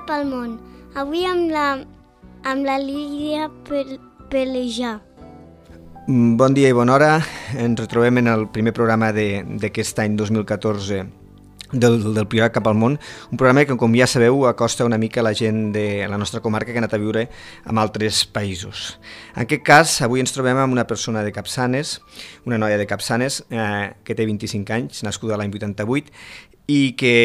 cap al món. Avui amb la Lídia Pelejà. Bon dia i bona hora. Ens retrobem en el primer programa d'aquest any 2014 del Priorat cap al món, un programa que, com ja sabeu, acosta una mica la gent de la nostra comarca que ha anat a viure en altres països. En aquest cas, avui ens trobem amb una persona de Capçanes, una noia de Capçanes, que té 25 anys, nascuda l'any 88, i que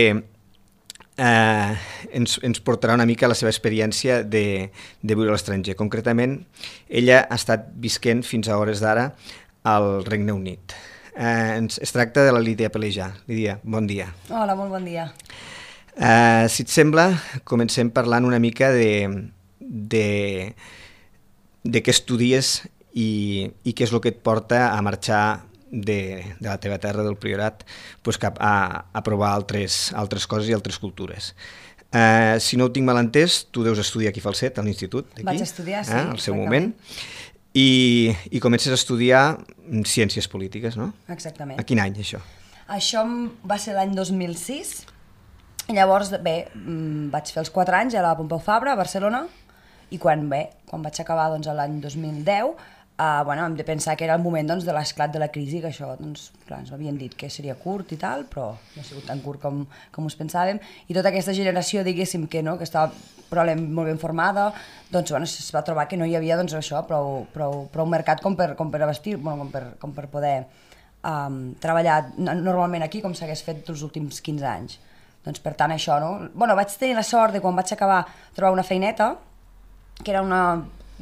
ens portarà una mica la seva experiència de viure a l'estranger. Concretament, ella ha estat visquent fins a hores d'ara al Regne Unit. Es tracta de la Lídia Pelejà. Lídia, bon dia. Hola, molt bon dia. Si et sembla, comencem parlant una mica de què estudies i què és el que et porta a marxar de la teva terra, del Priorat, cap a provar altres coses i altres cultures. Si no ho tinc mal entès, tu deus estudiar aquí a Falset, a l'institut d'aquí. Vaig estudiar, sí. Al seu moment. I comences a estudiar Ciències Polítiques, no? Exactament. A quin any, això? Això va ser l'any 2006, i llavors, vaig fer els 4 anys a la Pompeu Fabra, a Barcelona, i quan vaig acabar l'any 2010, hem de pensar que era el moment de l'esclat de la crisi, que això, clar, ens havien dit que seria curt i tal, però no ha sigut tan curt com us pensàvem, i tota aquesta generació, diguéssim, que estava molt ben formada, es va trobar que no hi havia prou mercat com per abastir, com per poder treballar normalment aquí, com s'hagués fet els últims 15 anys. Doncs per tant això, no? Vaig tenir la sort de quan vaig acabar trobar una feineta, que era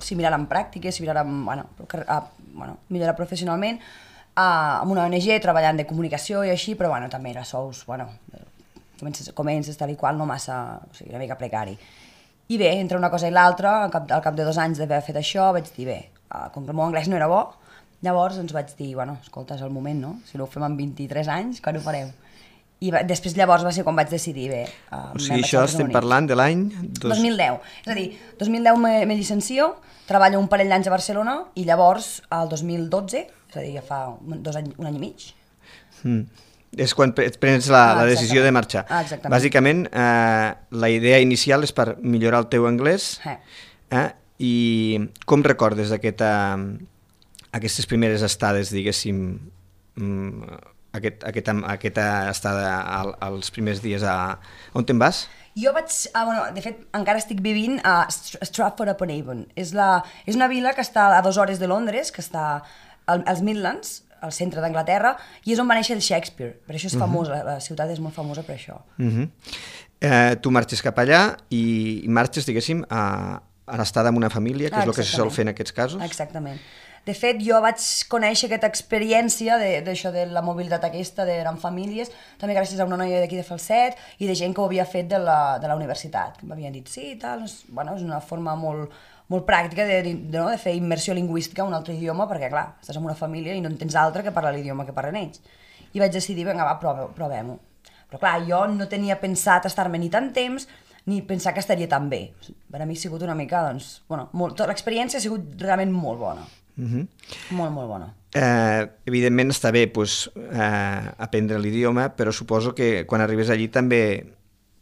similar en pràctiques, similar millorar professionalment, amb una ONG treballant de comunicació i així, però també era sous, comences tal i qual, no massa, o sigui, una mica precari. I bé, entre una cosa i l'altra, al cap de 2 anys d'haver fet això, vaig dir, com que el meu anglès no era bo, llavors vaig dir, escolta, és el moment, no? Si no ho fem amb 23 anys, quan ho farem? I després llavors va ser quan vaig decidir, O sigui, això estem parlant de l'any... 2010. És a dir, 2010 me licencio, treballo un parell d'anys a Barcelona i llavors, el 2012, és a dir, ja fa 2 anys, 1 any i mig. És quan prens la decisió de marxar. Exactament. Bàsicament, la idea inicial és per millorar el teu anglès. I com recordes aquestes primeres estades, diguéssim, aquesta estada als primers dies on te'n vas? Jo de fet, encara estic vivint a Stratford-upon-Avon. És una vila que està a 2 hores de Londres, que està als Midlands, al centre d'Anglaterra, i és on va néixer el Shakespeare. Per això és famosa, la ciutat és molt famosa per això. Tu marxes cap allà i marxes, diguéssim, a l'estada amb una família, que és el que se sol fer en aquests casos? Exactament. De fet, jo vaig conèixer aquesta experiència d'això de la mobilitat aquesta, d'anar amb famílies, també gràcies a una noia d'aquí de Falset i de gent que ho havia fet de la universitat. M'havien dit, sí, tal, és una forma molt pràctica de fer immersió lingüística en un altre idioma, perquè, clar, estàs en una família i no en tens altra que parlar l'idioma que parlen ells. I vaig decidir, vinga, va, provem-ho. Però, clar, jo no tenia pensat estar-me ni tant temps ni pensar que estaria tan bé. Per a mi ha sigut una mica, l'experiència ha sigut realment molt bona. Molt, molt bona. Evidentment està bé aprendre l'idioma, però suposo que quan arribes allí també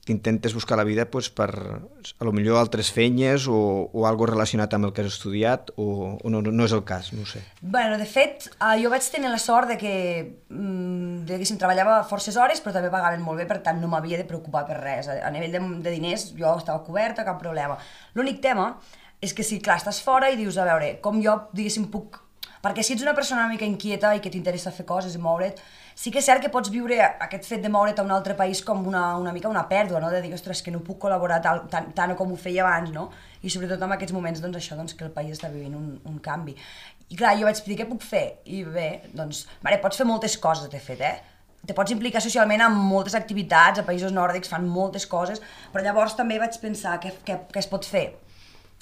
t'intentes buscar la vida per a lo millor altres feines o algo relacionat amb el que has estudiat o no és el cas, no ho sé. De fet, jo vaig tenir la sort de que treballava forces hores però també pagaven molt bé, per tant no m'havia de preocupar per res. A nivell de diners jo estava coberta, cap problema. L'únic tema és que si, clar, estàs fora i dius, a veure, com jo, diguéssim, puc... Perquè si ets una persona una mica inquieta i que t'interessa fer coses i moure't, sí que és cert que pots viure aquest fet de moure't a un altre país com una mica una pèrdua, no? De dir, ostres, que no puc col·laborar tant com ho feia abans, no? I sobretot en aquests moments, que el país està vivint un canvi. I clar, jo vaig dir, què puc fer? I bé, pots fer moltes coses, de fet, Te pots implicar socialment en moltes activitats, a països nòrdics fan moltes coses, però llavors també vaig pensar què es pot fer.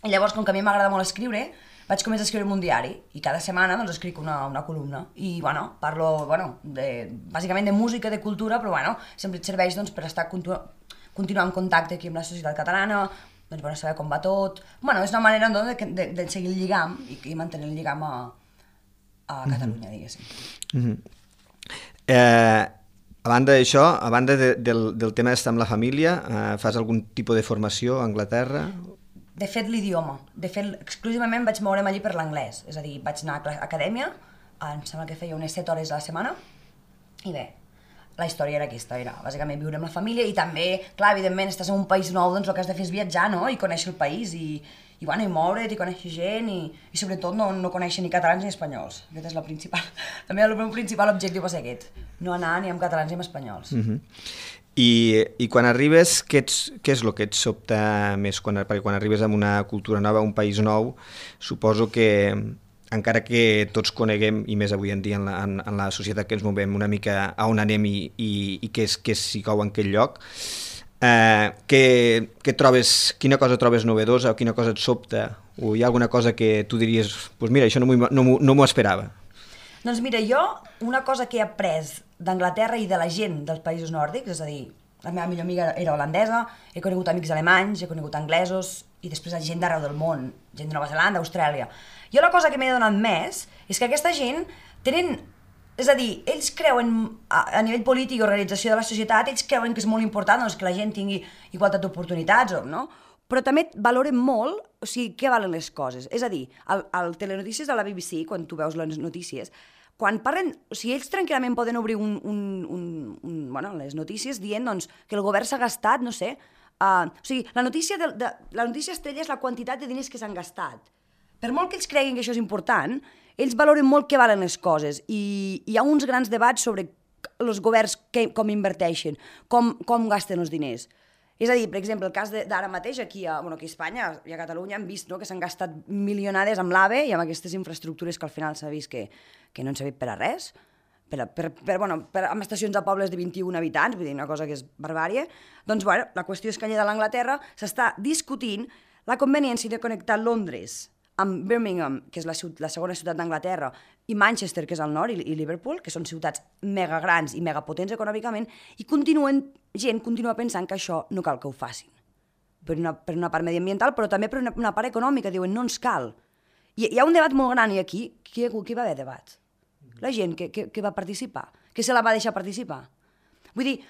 I llavors, com que a mi m'agrada molt escriure, vaig començar a escriure un diari i cada setmana escric una columna i parlo bàsicament de música, de cultura, però sempre et serveix per estar continuar en contacte aquí amb la societat catalana, saber com va tot. És una manera de seguir el lligam i mantenir el lligam a Catalunya, diguéssim. A banda d'això, a banda del tema d'estar amb la família, fas algun tipus de formació a Anglaterra? De fet, l'idioma. De fet, exclusivament vaig moure'm allí per l'anglès. És a dir, vaig anar a acadèmia, em sembla que feia unes 7 hores a la setmana, i bé, la història era aquesta, era bàsicament viure amb la família i també, clar, evidentment, estàs en un país nou, doncs el que has de fer és viatjar, no?, i conèixer el país, i moure't, i conèixer gent, i sobretot no conèixer ni catalans ni espanyols. Aquest és la principal. També el meu principal objectiu va ser aquest, no anar ni amb catalans ni amb espanyols. I quan arribes, què és el que et sobta més? Perquè quan arribes a una cultura nova, a un país nou, suposo que, encara que tots coneguem, i més avui en dia en la societat que ens movem, una mica a on anem i què s'hi cou en aquell lloc, quina cosa trobes novedosa o quina cosa et sobta? O hi ha alguna cosa que tu diries, doncs mira, això no m'ho esperava? Doncs mira, jo una cosa que he après d'Anglaterra i de la gent dels països nòrdics, és a dir, la meva millor amiga era holandesa, he conegut amics alemanys, he conegut anglesos i després gent d'arreu del món, gent de Nova Zelanda, Austràlia. Jo la cosa que m'he donat més és que aquesta gent tenen, és a dir, ells creuen, a nivell polític i organització de la societat, ells creuen que és molt important doncs, que la gent tingui igualtat d'oportunitats, no? Però també valoren molt, o sigui, què valen les coses. És a dir, al telenotícies de la BBC, quan tu veus les notícies, quan parlen, o sigui, ells tranquil·lament poden obrir les notícies dient doncs, que el govern s'ha gastat, no sé, o sigui, la notícia estrella és la quantitat de diners que s'han gastat. Per molt que ells creguin que això és important, ells valoren molt què valen les coses i hi ha uns grans debats sobre els governs com inverteixen, com gasten els diners. És a dir, per exemple, el cas d'ara mateix aquí a Espanya i a Catalunya hem vist que s'han gastat milionades amb l'AVE i amb aquestes infraestructures que al final s'ha vist que no han servit per a res, amb estacions a pobles de 21 habitants, vull dir, una cosa que és barbària. Doncs, la qüestió és que allà de l'Anglaterra s'està discutint la conveniència de connectar Londres amb Birmingham, que és la segona ciutat d'Anglaterra, i Manchester, que és al nord, i Liverpool, que són ciutats mega grans i mega potents econòmicament, i gent continua pensant que això no cal que ho facin. Per una part mediambiental, però també per una part econòmica, diuen no ens cal. I hi ha un debat molt gran, i aquí, qui va haver debat? La gent que va participar, que se la va deixar participar. Vull dir,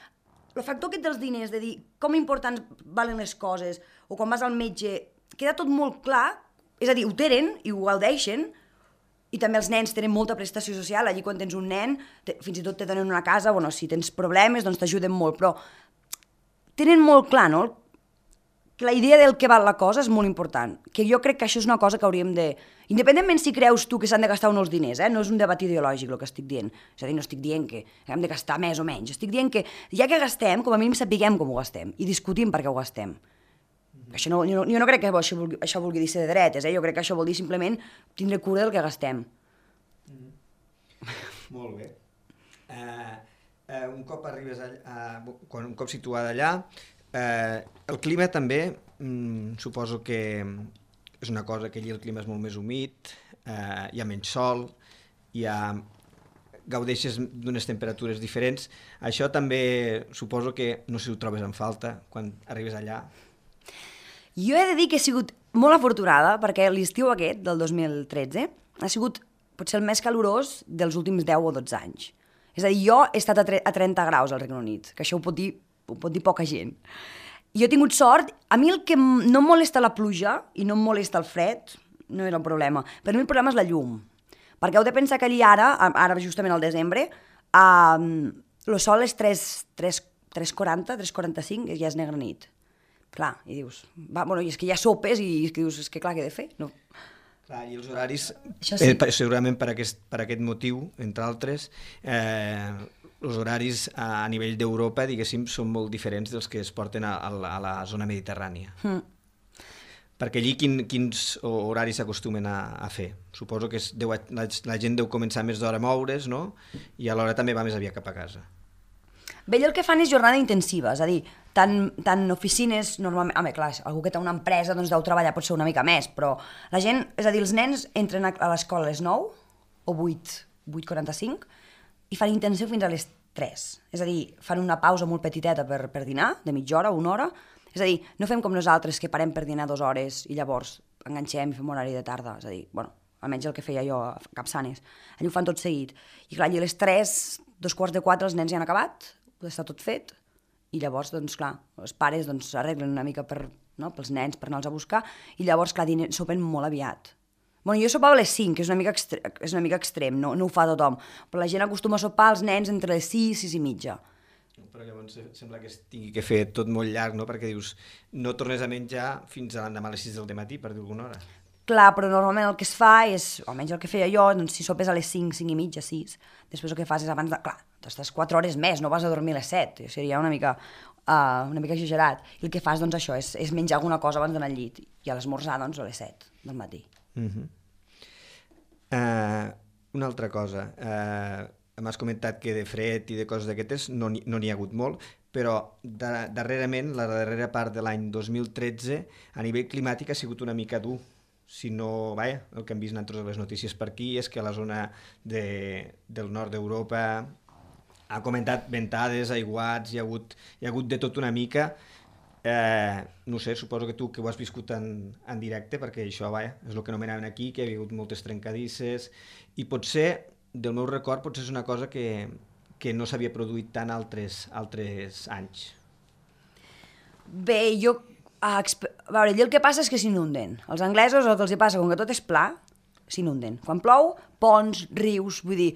el factor aquest dels diners, de dir com importants valen les coses, o quan vas al metge, queda tot molt clar. És a dir, ho tenen i ho gaudeixen, i també els nens tenen molta prestació social, allí quan tens un nen, fins i tot te donen una casa, si tens problemes, doncs t'ajuden molt, però tenen molt clar, no?, que la idea del que val la cosa és molt important, que jo crec que això és una cosa que hauríem de... Independentment si creus tu que s'han de gastar o no els diners, no és un debat ideològic el que estic dient, és a dir, no estic dient que hem de gastar més o menys, estic dient que ja que gastem, com a mínim sapiguem com ho gastem, i discutim per què ho gastem. Jo no crec que això vulgui dir ser de dretes, jo crec que això vol dir simplement tindre cura del que gastem. Molt bé. Un cop arribes un cop situada allà, el clima també, suposo que és una cosa que allí el clima és molt més humit, hi ha menys sol, gaudeixes d'unes temperatures diferents. Això també suposo que no sé si ho trobes en falta quan arribes allà. Jo he de dir que he sigut molt afortunada perquè l'estiu aquest, del 2013, ha sigut potser el més calorós dels últims 10 o 12 anys. És a dir, jo he estat a 30 graus al Regne Unit, que això ho pot dir poca gent. Jo he tingut sort, a mi el que no em molesta la pluja i no em molesta el fred, no era un problema. Per mi el problema és la llum, perquè heu de pensar que allí ara justament al desembre, el sol és 3:40, 3:45, ja és negra nit. Clar, i dius, i és que hi ha sopes i dius, és que clar, què he de fer? No. Clar, i els horaris, sí. Segurament per aquest motiu, entre altres, els horaris a nivell d'Europa, diguéssim, són molt diferents dels que es porten a la zona mediterrània. Perquè allí quins horaris s'acostumen a fer? Suposo que la gent deu començar més d'hora a moure's, no? I alhora també va més aviat cap a casa. Bé, el que fan és jornada intensiva, és a dir, tant oficines, normalment... Home, clar, algú que té una empresa doncs deu treballar potser una mica més, però la gent, és a dir, els nens entren a l'escola a les 9 o 8:45 i fan intensiu fins a les 3. És a dir, fan una pausa molt petiteta per dinar, de mitja hora o una hora. És a dir, no fem com nosaltres, que parem per dinar 2 hores i llavors enganxem i fem horari de tarda. És a dir, almenys el que feia jo a Capçanes. Allà ho fan tot seguit. I clar, allà a les 3, 3:45, els nens ja han acabat, està tot fet, i llavors, doncs, clar, els pares doncs, arreglen una mica pels nens per anar-los a buscar, i llavors, clar, sopen molt aviat. Bueno, jo sopava a les 5, que és una mica extrem, no ho fa tothom, però la gent acostuma a sopar els nens entre les 6 i 6:30. Però llavors sembla que es tingui que fer tot molt llarg, no? Perquè dius, no tornes a menjar fins a l'endemà a les 6 del matí, per dir alguna hora. Clar, però normalment el que es fa és, almenys el que feia jo, doncs si sopes a les 5, 5:30, 6, després el que fas és abans de... Clar, t'estàs 4 hores més, no vas a dormir a les 7, seria una mica exagerat. I el que fas, doncs això, és menjar alguna cosa abans d'anar al llit, i a l'esmorzar, doncs, a les 7 del matí. Una altra cosa, m'has comentat que de fred i de coses d'aquestes no n'hi ha hagut molt, però darrerament, la darrera part de l'any 2013, a nivell climàtic ha sigut una mica dur. Si no, vaja, el que hem vist en totes les notícies per aquí és que a la zona del nord d'Europa ha comentat ventades, aiguats, hi ha hagut de tot una mica. No sé, suposo que tu que ho has viscut en directe, perquè això, vaja, és el que anomenaven aquí, que hi ha hagut moltes trencadisses, i potser, del meu record, potser és una cosa que no s'havia produït tant altres anys. Bé, a veure, allí el que passa és que s'inunden. Els anglesos el que els passa, com que tot és pla, s'inunden. Quan plou, ponts, rius, vull dir,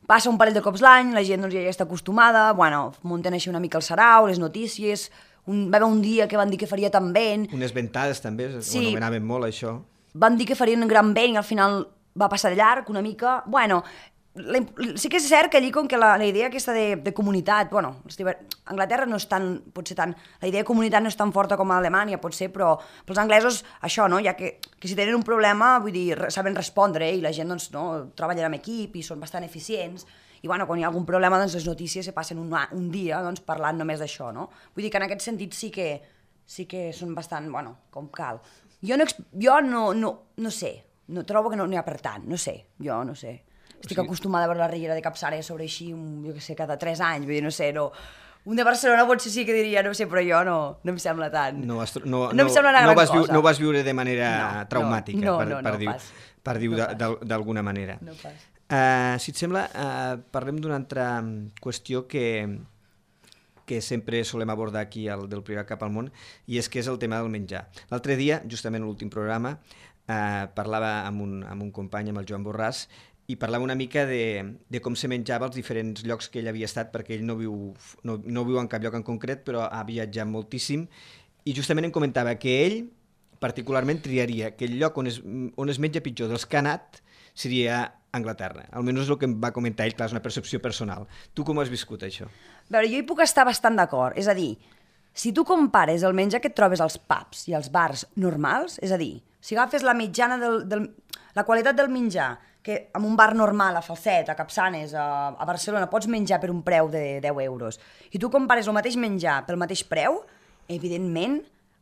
passa un parell de cops l'any, la gent doncs, ja està acostumada, bueno, munten així una mica el sarau, les notícies, va haver un dia que van dir que faria tant vent. Unes ventades també, ho anomenaven molt això. Van dir que farien gran vent i al final va passar llarg una mica. Bueno, sí que és cert que allí com que la idea aquesta de comunitat, bueno, Anglaterra no és tan, potser tant, la idea de comunitat no és tan forta com a Alemanya, potser, però pels anglesos això, no? Ja que si tenen un problema, vull dir, saben respondre, i la gent, doncs, no, treballen en equip i són bastant eficients, i bueno, quan hi ha algun problema, doncs les notícies se passen un dia, doncs, parlant només d'això, no? Vull dir que en aquest sentit sí que són bastant, bueno, com cal. Jo no sé, no trobo que no n'hi ha per tant, no sé, jo no sé. Estic acostumada a veure la Riera de Capçara sobre així, jo què sé, cada 3 anys, vull dir, no sé, no... Un de Barcelona potser sí que diria, no sé, però jo no em sembla tant... No em sembla una gran cosa. No vas viure de manera traumàtica, per dir no d'alguna manera. No pas. Si et sembla, parlem d'una altra qüestió que sempre solem abordar aquí del Privat cap al món, i és que és el tema del menjar. L'altre dia, justament a l'últim programa, parlava amb un company, amb el Joan Borràs, i parlava una mica de com se menjava als diferents llocs que ell havia estat, perquè ell no viu en cap lloc en concret, però ha viatjat moltíssim, i justament em comentava que ell particularment triaria que el lloc on es menja pitjor dels que ha anat seria Anglaterra. Almenys és el que em va comentar ell, clar, és una percepció personal. Tu com has viscut això? A veure, jo hi puc estar bastant d'acord, és a dir, si tu compares el menjar que et trobes als pubs i als bars normals, és a dir, si agafes la mitjana la qualitat del menjar, que en un bar normal, a Falset, a Capçanes, a Barcelona, pots menjar per un preu de 10 euros, i tu compares el mateix menjar pel mateix preu, evidentment,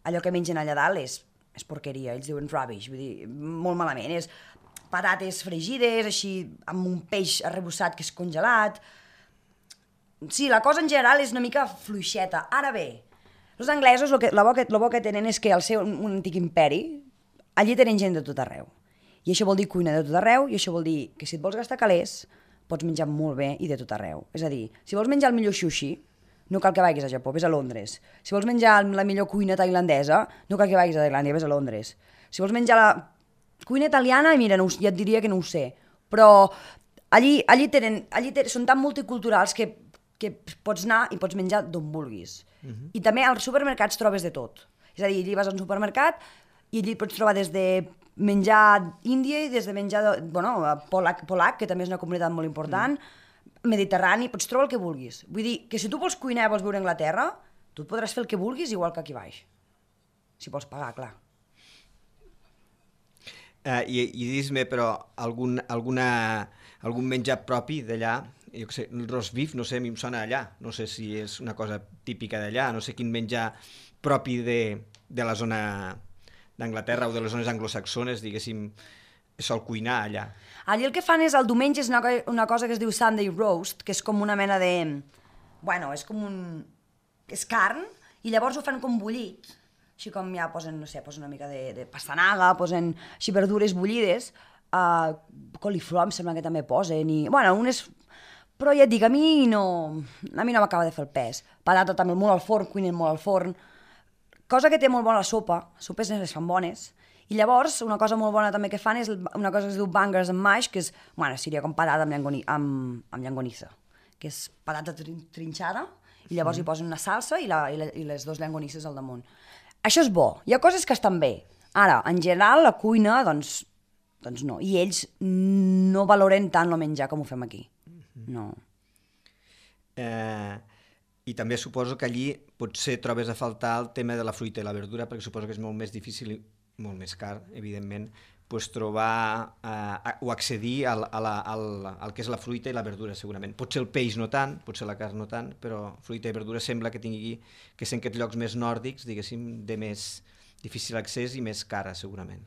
allò que mengen allà dalt és porqueria, ells diuen rubbish, vull dir, molt malament, és patates fregides, així, amb un peix arrebossat que és congelat. Sí, la cosa en general és una mica fluixeta. Ara bé, els anglesos, el bo que tenen és que al ser un antic imperi, allí tenen gent de tot arreu. I això vol dir cuina de tot arreu, i això vol dir que si et vols gastar calés, pots menjar molt bé i de tot arreu. És a dir, si vols menjar el millor sushi, no cal que vagis a Japó, vés a Londres. Si vols menjar la millor cuina tailandesa, no cal que vagis a Tailàndia, vés a Londres. Si vols menjar la cuina italiana, mira, ja et diria que no ho sé, però allí són tan multiculturals que pots anar i pots menjar d'on vulguis. I també als supermercats trobes de tot. És a dir, allí vas a un supermercat i allí pots trobar des de menjar índia i des de menjar polac, que també és una comunitat molt important, mediterrani, pots trobar el que vulguis. Vull dir que si tu vols cuinar i vols viure a Anglaterra, tu podràs fer el que vulguis igual que aquí baix. Si vols pagar, clar. I dis-me, però, algun menjar propi d'allà, jo què sé, el roast beef, no sé, a mi em sona allà, no sé si és una cosa típica d'allà, no sé quin menjar propi de la zona d'Anglaterra o de les zones anglosaxones, diguéssim, sol cuinar allà. Allí el que fan és, el diumenge és una cosa que es diu Sunday roast, que és com una mena de... Bueno, és com un... és carn, i llavors ho fan com bullit, així com ja posen, no sé, posen una mica de pastanaga, posen així verdures bullides, coliflor em sembla que també posen, i... Bueno, Però ja et dic, a mi no m'acaba de fer el pes. Patata també molt al forn, cuinen molt al forn. Cosa que té molt bona la sopa, sopes les fan bones. I llavors, una cosa molt bona també que fan és una cosa que es diu bangers and mash, que és, bueno, seria com patata amb llangonissa, que és patata trinxada, i llavors hi posen una salsa i les dues llangonisses al damunt. Això és bo. Hi ha coses que estan bé. Ara, en general, la cuina, doncs no. I ells no valoren tant el menjar com ho fem aquí. No. I també suposo que allí potser trobes a faltar el tema de la fruita i la verdura, perquè suposo que és molt més difícil i molt més car, evidentment, pues trobar o accedir al que és la fruita i la verdura, segurament. Potser el peix no tant, potser la carn no tant, però fruita i verdura sembla que tingui que ser en aquests llocs més nòrdics, diguéssim, de més difícil accés i més cara, segurament.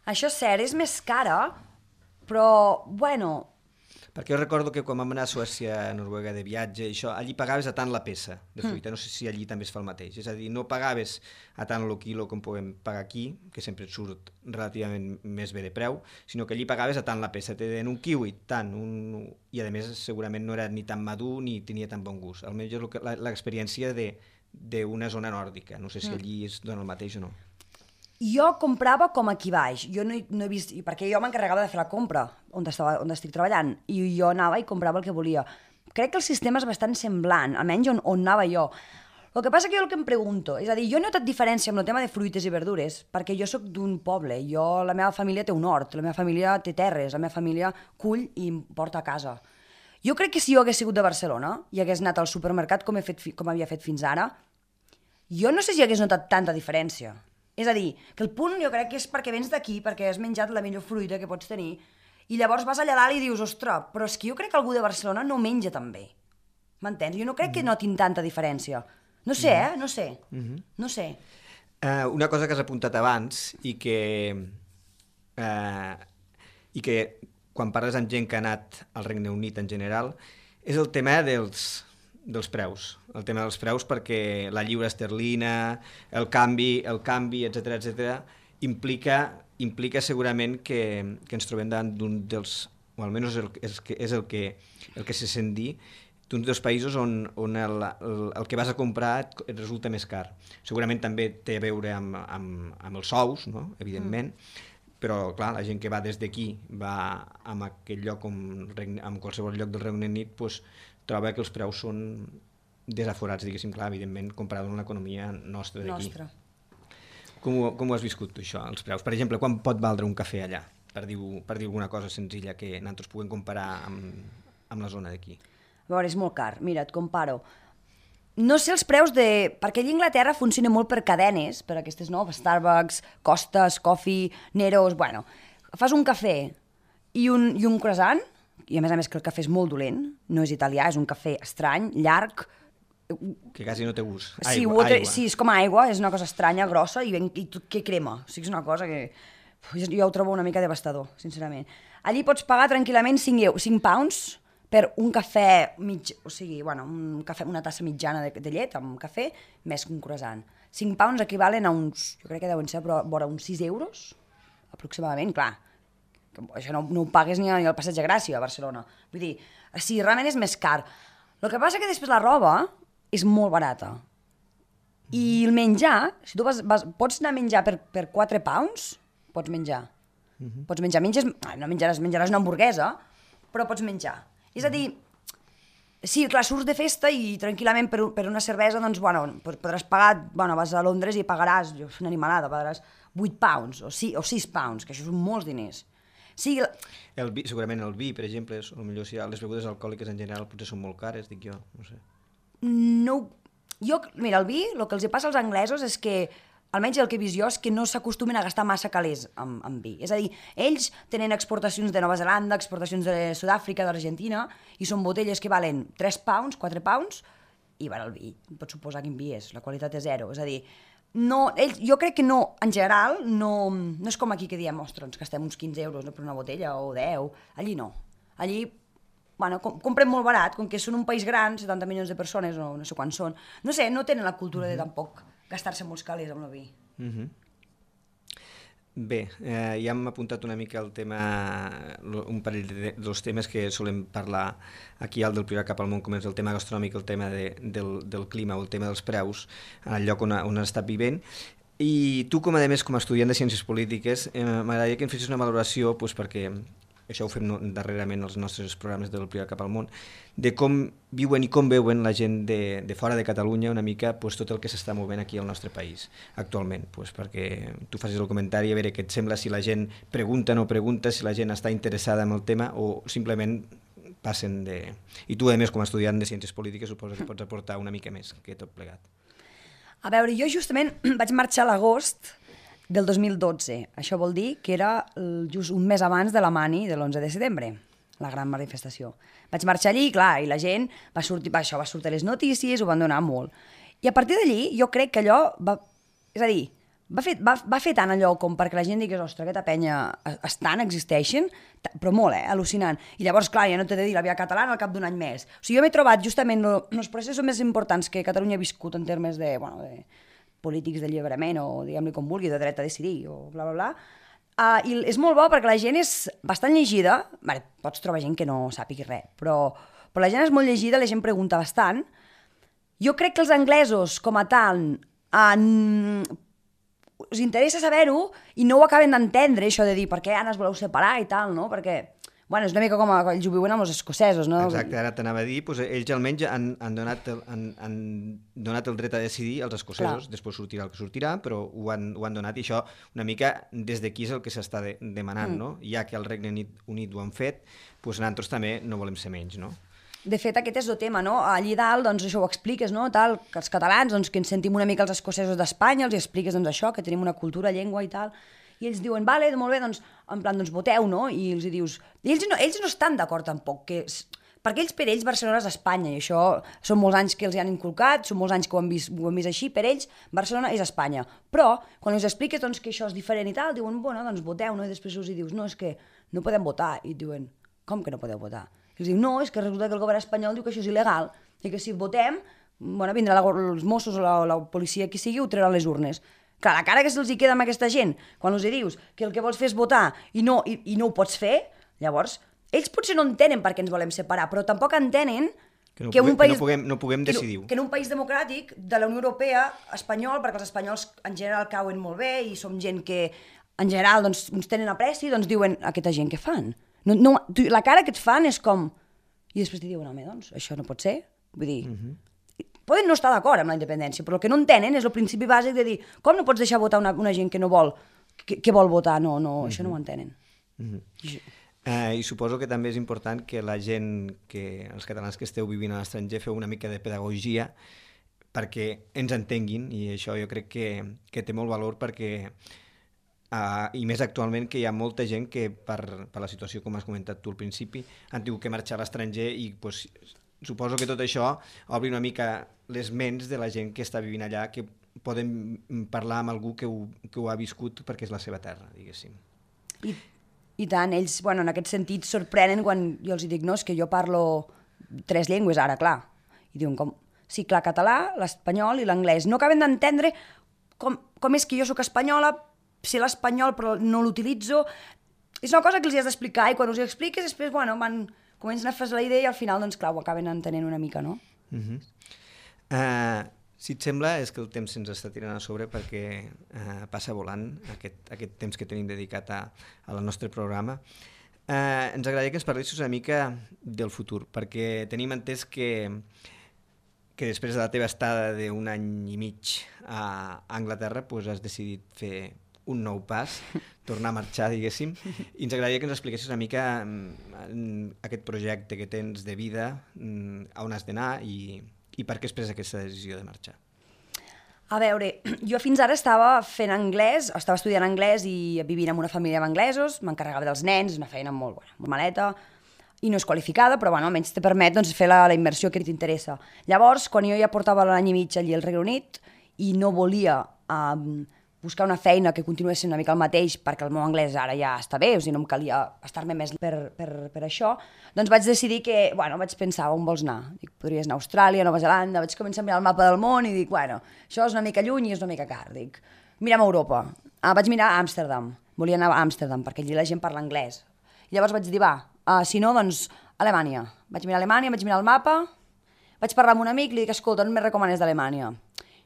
Això és cert, és més cara, però, bueno... Perquè jo recordo que quan vam anar a Suècia, a Noruega de viatge, això, allí pagaves a tant la peça de fruita, no sé si allí també es fa el mateix, és a dir, no pagaves a tant el quilo com podem pagar aquí, que sempre et surt relativament més bé de preu, sinó que allí pagaves a tant la peça, te deien un kiwi, tant, i a més segurament no era ni tan madur ni tenia tan bon gust, almenys és l'experiència d'una zona nòrdica, no sé si allí es dona el mateix o no. Jo comprava com aquí baix, jo no he vist, perquè jo m'encarregava de fer la compra on estic treballant, i jo anava i comprava el que volia. Crec que el sistema és bastant semblant, almenys on anava jo. El que passa que jo el que em pregunto, és a dir, jo he notat diferència amb el tema de fruites i verdures, perquè jo sóc d'un poble, la meva família té un hort, la meva família té terres, la meva família cull i em porta a casa. Jo crec que si jo hagués sigut de Barcelona i hagués anat al supermercat com havia fet fins ara, jo no sé si hagués notat tanta diferència. És a dir, que el punt jo crec que és perquè vens d'aquí, perquè has menjat la millor fruita que pots tenir, i llavors vas allà dalt i dius, ostres, però és que jo crec que algú de Barcelona no menja tan bé. M'entens? Jo no crec que notin tanta diferència. No sé, No sé. No sé. Una cosa que has apuntat abans i que quan parles amb gent que ha anat al Regne Unit en general és el tema dels preus. El tema dels preus perquè la lliura esterlina, el canvi, etc implica segurament que ens trobem davant d'un dels, o almenys és el que se sent dir, d'un dels països on el que vas a comprar et resulta més car. Segurament també té a veure amb els sous, no? Evidentment, però clar, la gent que va des d'aquí va a aquell lloc, en qualsevol lloc del Regne Unit, doncs, troba que els preus són desaforats, diguéssim, clar, evidentment, comparat amb l'economia nostra d'aquí. Com ho has viscut tu, això, els preus? Per exemple, quan pot valdre un cafè allà? Per dir alguna cosa senzilla que nosaltres puguem comparar amb la zona d'aquí. A veure, és molt car. Mira, et comparo. No sé els preus perquè allà a Anglaterra funciona molt per cadenes, per aquestes, no? Starbucks, Costas, Coffee, Neros... Bueno, fas un cafè i un croissant, i a més que el cafè és molt dolent, no és italià, és un cafè estrany, llarg... Que quasi no té gust. Aigua. Sí, és com aigua, és una cosa estranya, grossa, i que crema. O sigui, és una cosa que... Jo ho trobo una mica devastador, sincerament. Allí pots pagar tranquil·lament 5 pounds per un cafè o sigui, bueno, una tassa mitjana de llet amb cafè, més un croissant. 5 pounds equivalen a uns, jo crec que deuen ser vora uns 6 euros, aproximadament, clar. Això no ho pagues ni al Passeig de Gràcia, a Barcelona. Vull dir, sí, realment és més car. El que passa que després la roba és molt barata. I el menjar, si tu pots anar a menjar per 4 pounds, pots menjar. Pots menjar, no menjaràs una hamburguesa, però pots menjar. És a dir, sí, clar, surts de festa i tranquil·lament per una cervesa, doncs, bueno, podràs pagar, bueno, vas a Londres i pagaràs, una animalada, pagaràs 8 pounds o 6 pounds, que això són molts diners. Sí, segurament el vi, per exemple, potser si les begudes alcohòliques en general potser són molt cares, dic jo, no sé. Mira, el vi, el que els passa als anglesos és que, almenys el que he vist jo, és que no s'acostumen a gastar massa calés amb vi. És a dir, ells tenen exportacions de Nova Zelanda, exportacions de Sud-àfrica, d'Argentina, i són botelles que valen 3 pounds, 4 pounds, i el vi, pots suposar quin vi és, la qualitat és zero. És a dir, jo crec que no, en general, no és com aquí que diem, ostres, ens gastem uns 15 euros per una botella o 10, allí no. Allí, bueno, compren molt barat, com que són un país gran, 70 milions de persones, o no sé quants són, no sé, no tenen la cultura de tampoc gastar-se molts calés amb el vi. Bé, ja hem apuntat una mica el tema, un parell dels temes que solem parlar aquí al del Priorat cap al món, com és el tema gastronòmic, el tema del clima o el tema dels preus, al lloc on has estat vivint. I tu, com a més, com a estudiant de Ciències Polítiques, m'agradaria que em fessis una valoració, perquè això ho fem darrerament als nostres programes del Priorat cap al món, de com viuen i com veuen la gent de fora de Catalunya una mica tot el que s'està movent aquí al nostre país actualment, perquè tu facis el comentari a veure què et sembla, si la gent pregunta o no pregunta, si la gent està interessada en el tema o simplement passen de... I tu, a més, com a estudiant de Ciències Polítiques, suposo que pots aportar una mica més que tot plegat. A veure, jo justament vaig marxar a l'agost del 2012. Això vol dir que era just un mes abans de la Mani de l'11 de setembre, la gran manifestació. Vaig marxar allí, clar, i la gent va sortir a les notícies, ho van donar molt. I a partir d'allí jo crec que allò és a dir, va fer tant allò com perquè la gent digués, ostres, aquesta penya estan, existeixen, però molt, al·lucinant. I llavors, clar, ja no t'he de dir la via catalana al cap d'un any més. O sigui, jo m'he trobat justament els processos més importants que Catalunya ha viscut en termes de polítics d'alliberament o diguem-li com vulgui, de dret a decidir o bla, bla, bla. I és molt bo perquè la gent és bastant llegida, pots trobar gent que no sàpigui res, però la gent és molt llegida, la gent pregunta bastant. Jo crec que els anglesos, com a tal, us interessa saber-ho i no ho acaben d'entendre, això de dir per què ara es voleu separar i tal, no? Perquè és una mica com ells ho viuen amb els escocesos, no? Exacte, ara t'anava a dir, ells almenys han donat el dret a decidir als escocesos, clar. Després sortirà el que sortirà, però ho han donat i això una mica des d'aquí és el que s'està demanant, no? Ja que el Regne Unit ho han fet, nosaltres també no volem ser menys, no? De fet, aquest és el tema, no? Allí dalt, doncs, això ho expliques, no? Tal, que els catalans, doncs, que ens sentim una mica els escocesos d'Espanya, els expliques, doncs, això, que tenim una cultura, llengua i tal, i ells diuen, vale, molt bé, doncs, en plan, doncs, voteu, no? I els dius... I ells no estan d'acord tampoc, perquè per ells Barcelona és Espanya, i això són molts anys que els hi han inculcat, són molts anys que ho han vist així, per ells Barcelona és Espanya. Però, quan els expliques doncs, que això és diferent i tal, diuen, bueno, doncs voteu, no? I després us dius, no, és que no podem votar. I diuen, com que no podeu votar? I els diu, no, és que resulta que el govern espanyol diu que això és il·legal, i que si votem, vindrà els Mossos o la policia, qui sigui, ho trauran les urnes. Clar, la cara que se'ls queda amb aquesta gent, quan els dius que el que vols fer és votar i no ho pots fer, llavors, ells potser no entenen per què ens volem separar, però tampoc entenen que no puguem decidir. Que en un país democràtic de la Unió Europea, espanyol, perquè els espanyols en general cauen molt bé i som gent que en general doncs, ens tenen apreci, doncs diuen, aquesta gent què fan? La cara que et fan és com... I després t'hi diuen, home, doncs, això no pot ser. Vull dir... Poden no estar d'acord amb la independència, però el que no entenen és el principi bàsic de dir com no pots deixar votar una gent que no vol, que vol votar, no, això no ho entenen. I suposo que també és important que la gent, els catalans que esteu vivint a l'estranger, feu una mica de pedagogia perquè ens entenguin, i això jo crec que té molt valor perquè, i més actualment, que hi ha molta gent que per la situació, com has comentat tu al principi, han tingut que marxar a l'estranger i suposo que tot això obri una mica les ments de la gent que està vivint allà, que poden parlar amb algú que ho ha viscut perquè és la seva terra, diguéssim. I tant, ells, en aquest sentit, sorprenen quan jo els dic, no, és que jo parlo 3 llengües ara, clar. I diuen, com? Sí, clar, català, l'espanyol i l'anglès. No acaben d'entendre com és que jo sóc espanyola, sé l'espanyol però no l'utilitzo. És una cosa que els has d'explicar i quan us ho expliques després, comencen a fer la idea i al final, doncs clar, ho acaben entenent una mica, no? Si et sembla, és que el temps se'ns està tirant a sobre perquè passa volant aquest temps que tenim dedicat al nostre programa. Ens agradaria que ens parlessis una mica del futur, perquè tenim entès que després de la teva estada d'un any i mig a Anglaterra has decidit fer un nou pas, tornar a marxar, diguéssim, i ens agradaria que ens expliquessis una mica aquest projecte que tens de vida, a on has d'anar i per què has pres aquesta decisió de marxar. A veure, jo fins ara estava estudiant anglès i vivint en una família d'anglesos, m'encarregava dels nens, una feina molt maleta, i no és qualificada, però almenys te permet fer la immersió que t'interessa. Llavors, quan jo ja portava l'any i mig allí al Regne Unit i no volia buscar una feina que continués sent una mica el mateix perquè el meu anglès ara ja està bé, o sigui, no em calia estar-me més per això, doncs vaig decidir que, vaig pensar, on vols anar? Dic, podries anar a Austràlia, Nova Zelanda, vaig començar a mirar el mapa del món i dic, això és una mica lluny i és una mica car, dic, mirem a Europa. Vaig mirar a Amsterdam, volia anar a Amsterdam, perquè allí la gent parla anglès. I llavors vaig dir, si no, doncs, Alemanya. Vaig mirar Alemanya, vaig mirar el mapa, vaig parlar amb un amic, li dic, escolta, on me recomanes d'Alemanya?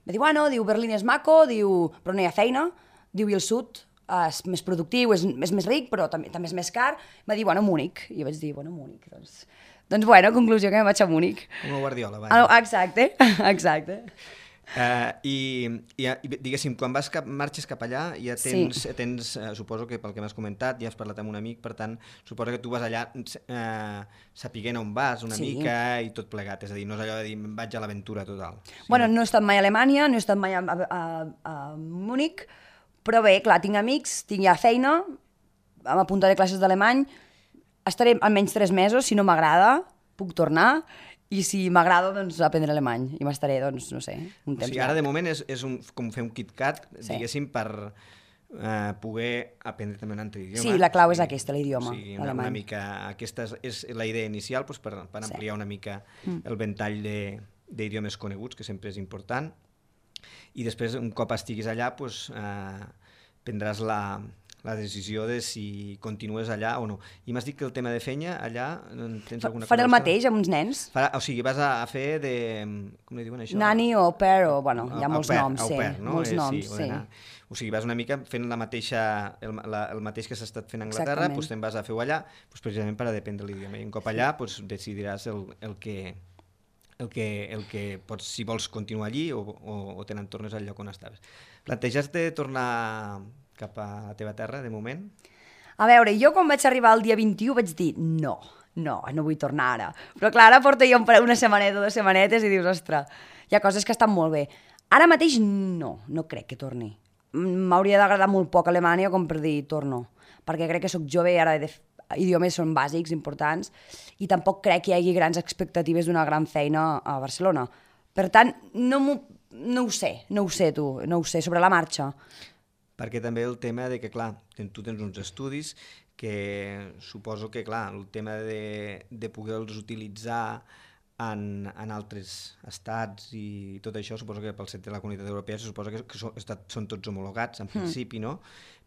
Va dir, bueno, Berlín és maco, però no hi ha feina, i el sud és més productiu, és més ric, però també és més car. Va dir, Múnich. I vaig dir, Múnich, doncs conclusió que me'n vaig a Múnich. Com a Guardiola, vaja. Exacte. I diguéssim, quan marxes cap allà, ja tens, suposo que pel que m'has comentat, ja has parlat amb un amic, per tant, suposo que tu vas allà sapiguent on vas una mica i tot plegat, és a dir, no és allò de dir vaig a l'aventura total. Bueno, no he estat mai a Alemanya, no he estat mai a Múnich, però bé, clar, tinc amics, tinc ja feina, m'apuntaré classes d'alemany, estaré almenys 3 mesos, si no m'agrada, puc tornar, i si m'agrada, doncs, aprendre alemany. I m'estaré, doncs, no sé, un temps. O sigui, ara de moment és com fer un KitKat, diguéssim, per poder aprendre també un altre idioma. Sí, la clau és aquesta, l'idioma, l'alemany. Una mica, aquesta és la idea inicial, doncs, per ampliar una mica el ventall d'idiomes coneguts, que sempre és important. I després, un cop estiguis allà, doncs, prendràs la decisió de si continues allà o no. I m'has dit que el tema de feina, allà tens alguna cosa? Faré el mateix amb uns nens. O sigui, vas a fer de... com li diuen això? Nani o au pair, hi ha molts noms, sí. Molts noms, sí. O sigui, vas una mica fent el mateix que s'ha estat fent a Anglaterra, doncs te'n vas a fer-ho allà, precisament per aprendre l'idioma. I un cop allà decidiràs el que pots, si vols continuar allí o te n'entornes al lloc on estaves. Planteges de tornar cap a la teva terra, de moment? A veure, jo quan vaig arribar el dia 21 vaig dir no vull tornar ara. Però clar, ara porto jo una setmaneta o 2 setmanetes i dius, ostres, hi ha coses que estan molt bé. Ara mateix no crec que torni. M'hauria d'agradar molt poc Alemanya com per dir torno, perquè crec que sóc jove i ara idiomes són bàsics, importants, i tampoc crec que hi hagi grans expectatives d'una gran feina a Barcelona. Per tant, no ho sé sobre la marxa. Perquè també el tema de que, clar, tu tens uns estudis que suposo que, clar, el tema de poder-los utilitzar en altres estats i tot això, suposo que pel set de la Comunitat Europea suposo que són tots homologats, en principi, no?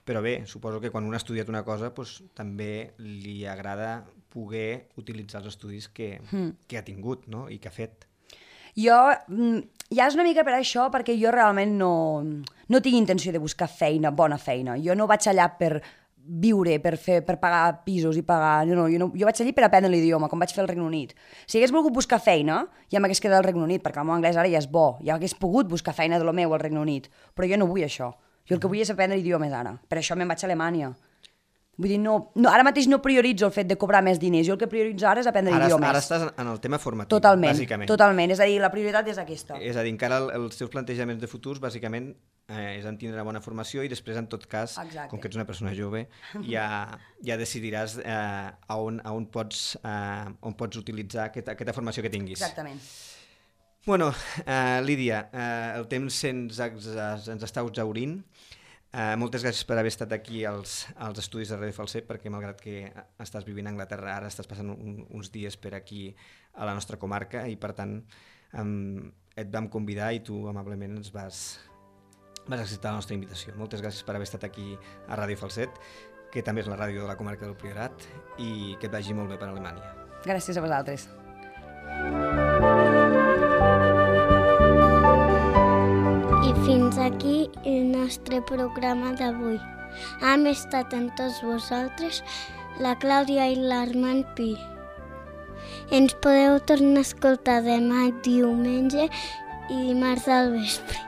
Però bé, suposo que quan un ha estudiat una cosa, doncs, també li agrada poder utilitzar els estudis que ha tingut, no? I que ha fet. Jo, ja és una mica per això, perquè jo realment no tinc intenció de buscar feina, bona feina. Jo no vaig allà per viure, per pagar pisos i pagar... Jo vaig allí per aprendre l'idioma, com vaig fer al Regne Unit. Si hagués volgut buscar feina, ja m'hagués quedat al Regne Unit, perquè el meu anglès ara ja és bo, ja hagués pogut buscar feina de lo meu al Regne Unit, però jo no vull això. Jo el que vull és aprendre idiomes ara. Per això me'n vaig a Alemanya. Vull dir, ara mateix no prioritzo el fet de cobrar més diners, jo el que prioritzo ara és aprendre idiomes. Ara estàs en el tema formatiu, bàsicament. Totalment, és a dir, la prioritat és aquesta. És a dir, encara els teus plantejaments de futurs, bàsicament, és en tindre una bona formació i després, en tot cas, com que ets una persona jove, ja decidiràs on pots utilitzar aquesta formació que tinguis. Exactament. Bueno, Lídia, el temps ens està exhaurint. Moltes gràcies per haver estat aquí als estudis de Ràdio Falset, perquè malgrat que estàs vivint a Anglaterra, ara estàs passant uns dies per aquí a la nostra comarca i per tant et vam convidar i tu amablement ens vas acceptar la nostra invitació. Moltes gràcies per haver estat aquí a Ràdio Falset, que també és la ràdio de la comarca del Priorat, i que et vagi molt bé per Alemanya. Gràcies a vosaltres. I fins aquí el nostre programa d'avui. Hem estat amb tots vosaltres, la Clàudia i l'Armand Pi. Ens podeu tornar a escoltar demà diumenge i dimarts al vespre.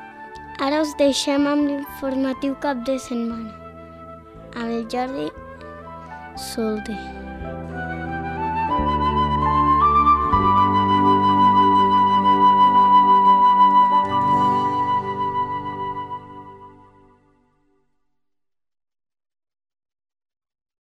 Ara us deixem amb l'informatiu cap de setmana, amb el Jordi Solde.